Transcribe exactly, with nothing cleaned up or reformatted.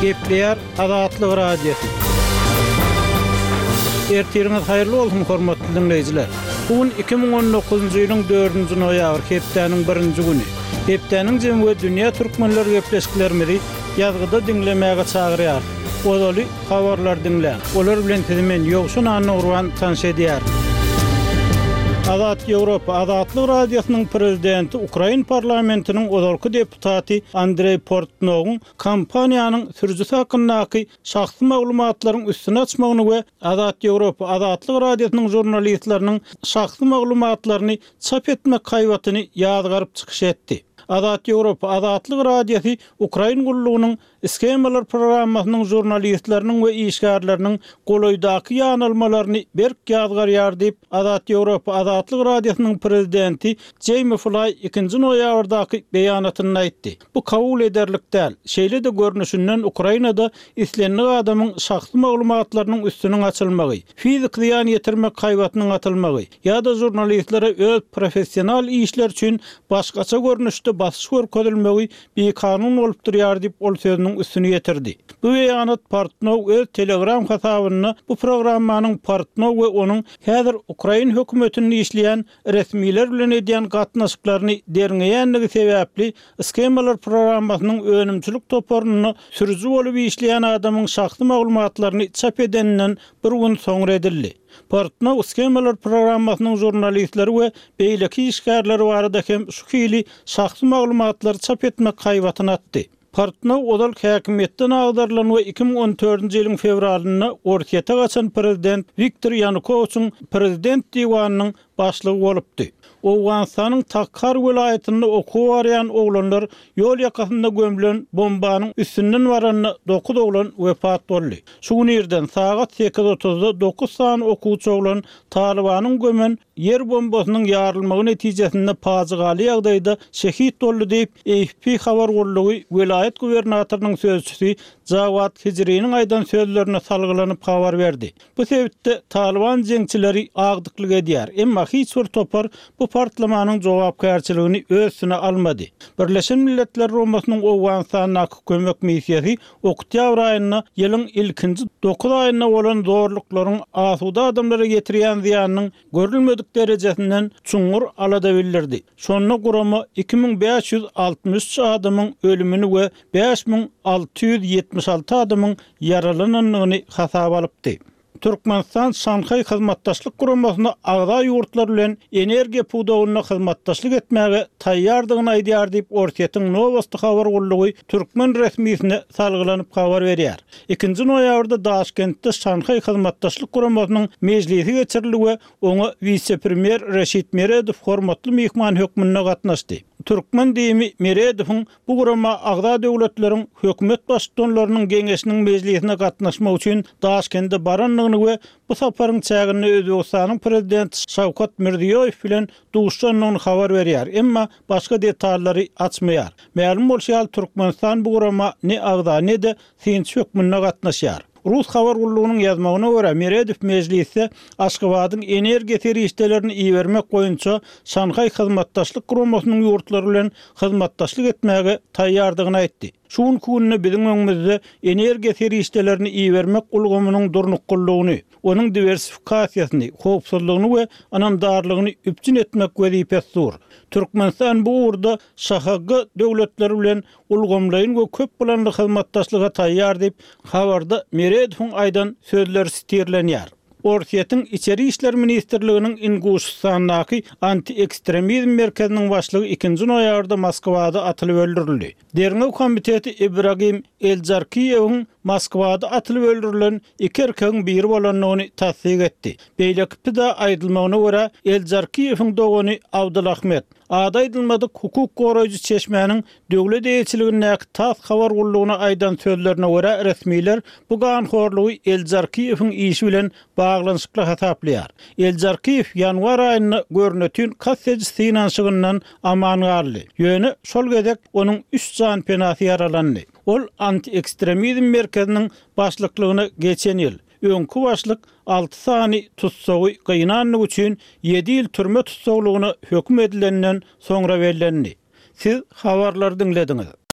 Gepleýär Azatlyk Radiosy. Ertiriňiz haýyrly bolsun hormatly dinleýjiler. Bu gün iki müň on dokuzynjy ýylyň dördünji noýabr, hepdäniň birinji güni. Hepdäniň jemi we dünýä türkmenler gepleşiklerimizi ýazgyda diňlemäge çagyrýar. Ozaly habarlar diňläň. Olar bilen sizi men Ýowşan Annagurban tanyş edýär. Azat Ýewropa Azatlyk Radiosynyň prezidenti Ukrain parlamentiniň ozalky deputaty Andrei Portnowyň kompaniýanyň sürüjisi hakyndaky şahsy maglumatlaryň üstüni açmagyny we Azat Ýewropa Azatlyk Radiosynyň žurnalistleriniň şahsy maglumatlaryny çap etmek haýbatyny ýazgaryp çykyş etdi. Azat Ýewropa Azatlyk Radiosy Ukrain gullugynyň Schemalar programmasynyň žurnalistleriniň we işgärleriniň golaýdaky ýanalmalaryny berk ýazgarýar diýip, Azat Ýewropa Azatlyk Radiosynyň prezidenti Jamie Fly ikinji noýabrdaky beýanatynda aýtdy. Bu kabul ederlik däl. Şeýle-de görnüşinden Ukrainada islendik adamyň şahsy maglumatlarynyň üstüniň açylmagy, fizik zyýan ýetirmek haýbatynyň atylmagy ýa-da žurnalistlere öz professional işler üçin başgaça görnüşde basyş görkezilmegi bikanun bolup durýar diýip, ol sözüniň üstüni ýetirdi. Bu beýanat Portnow öz Telegram hasabynda bu programmanyň Portnow we onuň häzir Ukrain hökümetinde işleýän resmiler bilen edýän gatnaşyklaryny derňeýänligi sebäpli Schemalar programmasynyň önümçilik toparynda sürüji bolup işleýän adamyň şahsy maglumatlaryny çap edeninden bir gün soňra edildi. Portnow Schemalar programmasynyň žurnalistleri we beýleki işgärleri barada hem şu hili şahsy maglumatlary çap etmek haýbatyny atdy. Portnow ozal häkimiýetden agdarylan we iki müň on dördünji ýylyň fewralynda Orsýete gaçan prezident Wiktor Ýanukowiçiň prezident diwanynyň başlygy bolupdy. Owganystanyň Takhar welaýatynda okuwa barýan oglanlar ýol ýakasynda gömülen bombanyň üstünden baranda dokuz oglan wepat boldy. Şu gün irden sagat sekiz otuzda dokuz sany okuwçy oglan Talibanyň gömen ýer bombasynyň ýarylmagy netijesinde pajygaly ýagdaýda şehit boldy diýip, A F P habar gullugy welaýat gubernatorynyň sözçüsi Jawad Hijriniň aýdan sözlerine salgylanyp habar berdi. Bu sebitde Taliban jeňçileri agdyklyk edýär, emma hiç bir topar bu partlamanyň jogapkärçiligini öz üstüne almady. Birleşen Milletler Guramasynyň Owganystandaky kömek missiýasy oktýabr aýynda ýylyň ilkinji dokuz aýynda bolan zorluklaryň asuda adamlara getirýän zyýanynyň görülmedik derejesinden çuňňur alada bildirdi. Şonda gurama iki müň bäş ýüz altmyş üç adamyň ölümini we bäş müň alty ýüz ýetmiş alty adamyň ýaralanandygyny hasaba alypdy. Türkmenistan Şanhaý Hyzmatdaşlyk Guramasyna agza ýurtlar bilen energiýa pudagynda hyzmatdaşlyk etmäge taýýardygyny aýdýar diýip, Orsýetiň Nowosti habar gullugy türkmen resmisine salgylanyp habar berýär. Ikinji noýabrda Daşkentde Şanhaý Hyzmatdaşlyk Guramasynyň mejlisi geçirildi we oňa wise-premýer Reşit Meredow hormatly myhman hökmünde gatnaşdy. Türkmen diýimi Meredowyň bu gurama agza döwletleriň hökümet baştutanlarynyň geňeşiniň mejlisine gatnaşmak üçin Daşkende barandygyny we bu saparyň çäginde Özbegistanyň prezidenti Şawkat Mirziýoýew bilen duşandygyny habar berýär, emma başga detallary açmaýar. Mälim bolşy ýaly, Türkmenistan bu gurama ne agza ne-de synçy hökmünde gatnaşýar. Rus habar gullugynyň ýazmagyna görä, Meredow mejlisde Aşgabadyň energiýa serişdelerini ibermek boýunça Şanhaý Hyzmatdaşlyk Guramasynyň ýurtlary bilen hyzmatdaşlyk etmäge taýýardygyny aýtdy. Şu günki günde biziň öňümizde energiýa serişdelerini ibermek ulgamynyň durnuklylygyny, onuň diwersifikasiýasyny, howpsuzlygyny we ynamdarlygyny üpjün etmek wezipesi dur. Türkmenistan bu ugurda Ş H G döwletleri bilen ulgamlaýyn we köp planly hyzmatdaşlyga taýýar diýip, habarda Meredowyň aýdan sözleri sitirlenýär. Orsýetiň Içeri işler ministrliginiň Inguşystandaky anti-ekstremizm merkeziniň başlygy ikinji noýabrda Moskwada atylyp öldürildi. Derňew komiteti Ibragim Eljarkiýewiň Moskwada atylyp öldürilen iki erkegiň biri bolandygyny tassyk etdi. Beýleki pida aýdylmagyna görä, Eljarkiýewiň dogany Abdulahmet, ady aýdylmadyk hukuk goraýjy çeşmäniň döwlet eýeçiligindäki TASS habar gullugyna aýdan sözlerine görä, resmiler bu ganhorlugy Eljarkiýewiň işi bilen baglanyşykly hasaplaýar. Eljarkiýew ýanwar aýynda görnütün kast ediş synanyşygyndan aman galdy. Ýöne şol gezek onuň üç jan penasy ýaralandy. Ol anti-ekstremizm merkeziniň başlyklygyna geçen ýyl, öňki başlyk alty sany tutsagy gynanlyk üçin ýedi ýyl türme tutsaglygyna höküm edilenden soňra bellendi. Siz habarlary diňlediňiz.